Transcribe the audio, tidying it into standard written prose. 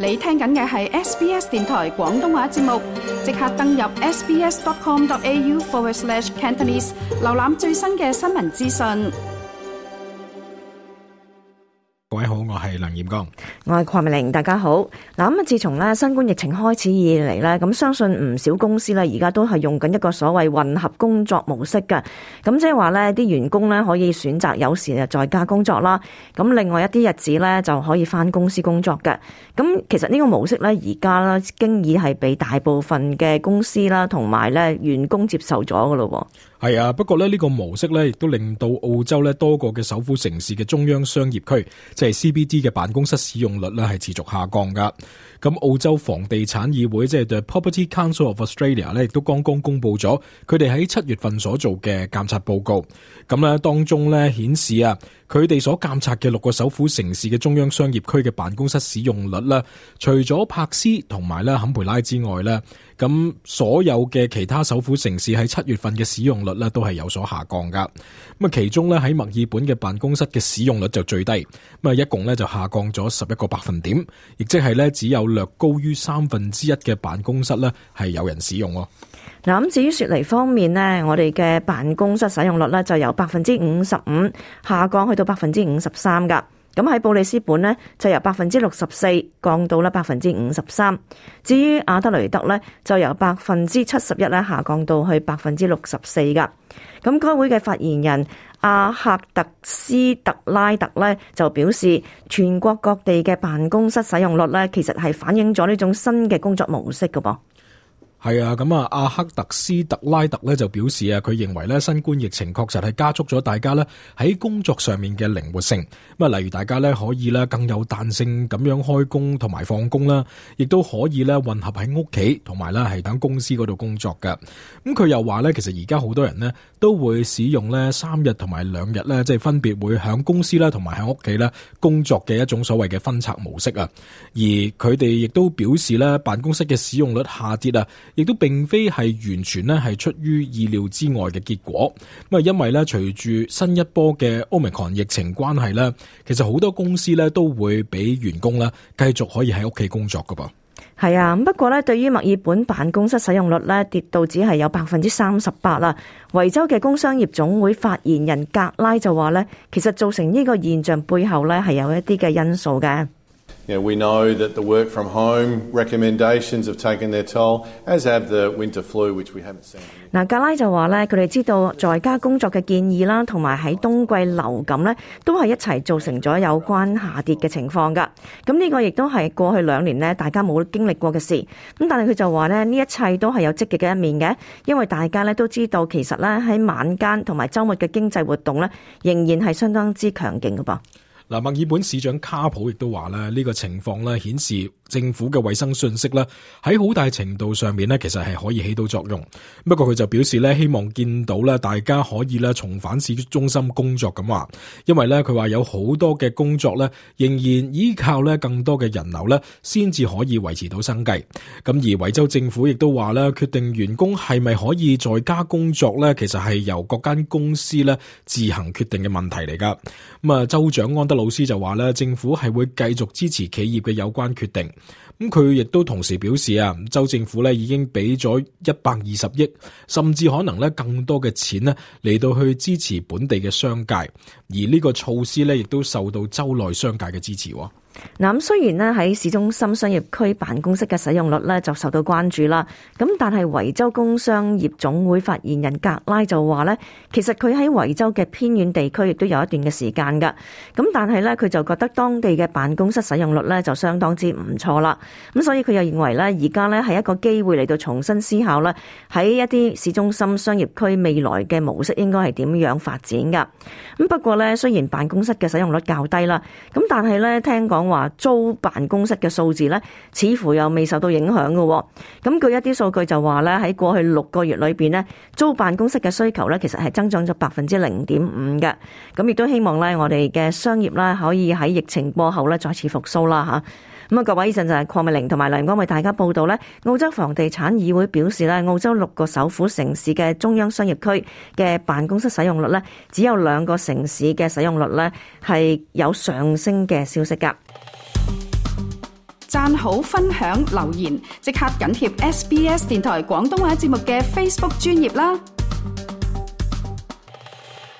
你聽緊嘅係 SBS 電台廣東話節目，即刻登入 sbs.com.au/Cantonese 瀏覽最新嘅新聞資訊。各位好，我係梁艷剛，我係鄺美玲，大家好。嗱，咁自從新冠疫情開始以嚟咧，咁相信唔少公司咧而家都係用緊一個所謂混合工作模式嘅。咁即係話咧，啲員工咧可以選擇有時在家工作啦，咁另外一啲日子咧就可以返公司工作嘅。咁其實呢個模式咧而家咧經已係被大部分嘅公司啦同埋咧員工接受咗噶咯。係啊，不過呢個模式咧亦都令到澳洲咧多個嘅首府城市嘅中央商業區，即係 CBD 嘅辦公室使用率咧係持續下降噶。咁澳洲房地產議會即係 The Property Council of Australia 咧，亦都剛剛公布咗佢哋喺7月份所做嘅監察報告。咁咧當中咧顯示啊，佢哋所監察嘅6個首府城市嘅中央商業區嘅辦公室使用率咧，除咗柏斯同埋咧坎培拉之外咧，咁所有嘅其他首府城市喺7月份嘅使用率咧都係有所下降噶。咁啊，其中咧喺墨爾本嘅辦公室嘅使用率就最低，咁啊一共咧就下降咗11個百分點，亦即係咧只有略高於1/3嘅辦公室咧係有人使用。嗱，咁至於雪梨方面呢，我哋嘅辦公室使用率呢就由55%下降去到53%噶。咁喺布里斯本呢，就由64%降到53%。至於阿德雷德呢，就由71%咧下降到去64%噶。咁該會嘅發言人阿克特斯特拉特呢，就表示，全國各地嘅辦公室使用率呢，其實係反映咗呢種新嘅工作模式噶噃。係啊，咁啊，阿克特斯特拉特咧就表示啊，佢認為咧新冠疫情確實係加速咗大家咧喺工作上面嘅靈活性。咁啊，例如大家咧可以咧更有彈性咁樣開工同埋放工啦，亦都可以咧混合喺屋企同埋咧係喺公司嗰度工作嘅。咁佢又話咧，其實而家好多人呢都會使用咧3日同埋2日咧，即係分別會喺公司啦同埋喺屋企咧工作嘅一種所謂嘅分拆模式啊。而佢哋亦都表示咧，辦公室嘅使用率下跌啊，亦都並非係完全咧係出於意料之外嘅結果。咁啊，因為咧隨住新一波嘅 Omicron 疫情關係咧，其實好多公司咧都會俾員工咧繼續可以喺屋企工作噶噃。係啊，不過咧對於墨爾本辦公室使用率咧跌到只係有38%啦。維州嘅工商業總會發言人格拉就話咧，其實造成呢個現象背後咧係有一啲嘅因素嘅。We know that the work from home recommendations have taken their toll, as have the winter flu, which we haven't seen. 嗱，格拉就話咧，佢哋知道在家工作嘅建議啦，同埋喺冬季流感咧，都係一齊造成咗有關下跌嘅情況噶。咁呢個亦都係過去2年咧，大家冇經歷過嘅事。咁但係佢就話咧，呢一切都係有積極嘅一面嘅，因為大家咧都知道，其實咧喺晚間同埋週末嘅經濟活動咧，仍然係相當之強勁噶噃。嗱，墨爾本市長卡普亦都話咧，呢個情況咧顯示政府嘅衛生信息咧喺好大程度上面咧，其實係可以起到作用。不過佢就表示咧，希望見到咧大家可以咧重返市中心工作咁話，因為咧佢話有好多嘅工作咧仍然依靠咧更多嘅人流咧先至可以維持到生計。咁而維州政府亦都話咧，決定員工係咪可以在家工作咧，其實係由各間公司咧自行決定嘅問題嚟噶。咁啊，州長安德老師就話咧，政府係會繼續支持企業嘅有關決定。咁佢亦都同時表示啊，州政府咧已經俾咗120億，甚至可能咧更多嘅錢咧嚟到去支持本地嘅商界。而呢個措施咧亦都受到州內商界嘅支持。嗱，咁雖然咧喺市中心商業區辦公室嘅使用率咧就受到關注啦，咁但係維州工商業總會發言人格拉就話咧，其實佢喺維州嘅偏遠地區亦都有一段嘅時間噶，咁但係咧佢就覺得當地嘅辦公室使用率咧就相當之唔錯啦，咁所以佢又認為咧而家咧係一個機會嚟到重新思考咧喺一啲市中心商業區未來嘅模式應該係點樣發展噶。咁不過咧雖然辦公室嘅使用率較低啦，咁但係咧聽講話租辦公室嘅數字咧，似乎又未受到影響嘅。咁據一啲數據就話咧，喺過去6個月裏邊咧，租辦公室嘅需求咧，其實係增長咗0.5%嘅。咁亦都希望咧，我哋嘅商業咧，可以喺疫情過後咧，再次復甦啦嚇。咁啊，各位，以上就係鄺美玲同埋梁光為大家報道咧。澳洲房地產議會表示咧，澳洲6個首府城市嘅中央商業區嘅辦公室使用率咧，只有2個城市嘅使用率咧係有上升嘅消息㗎。讚好、分享、留言，即刻緊貼SBS 電台廣東話節目嘅 Facebook 專頁啦。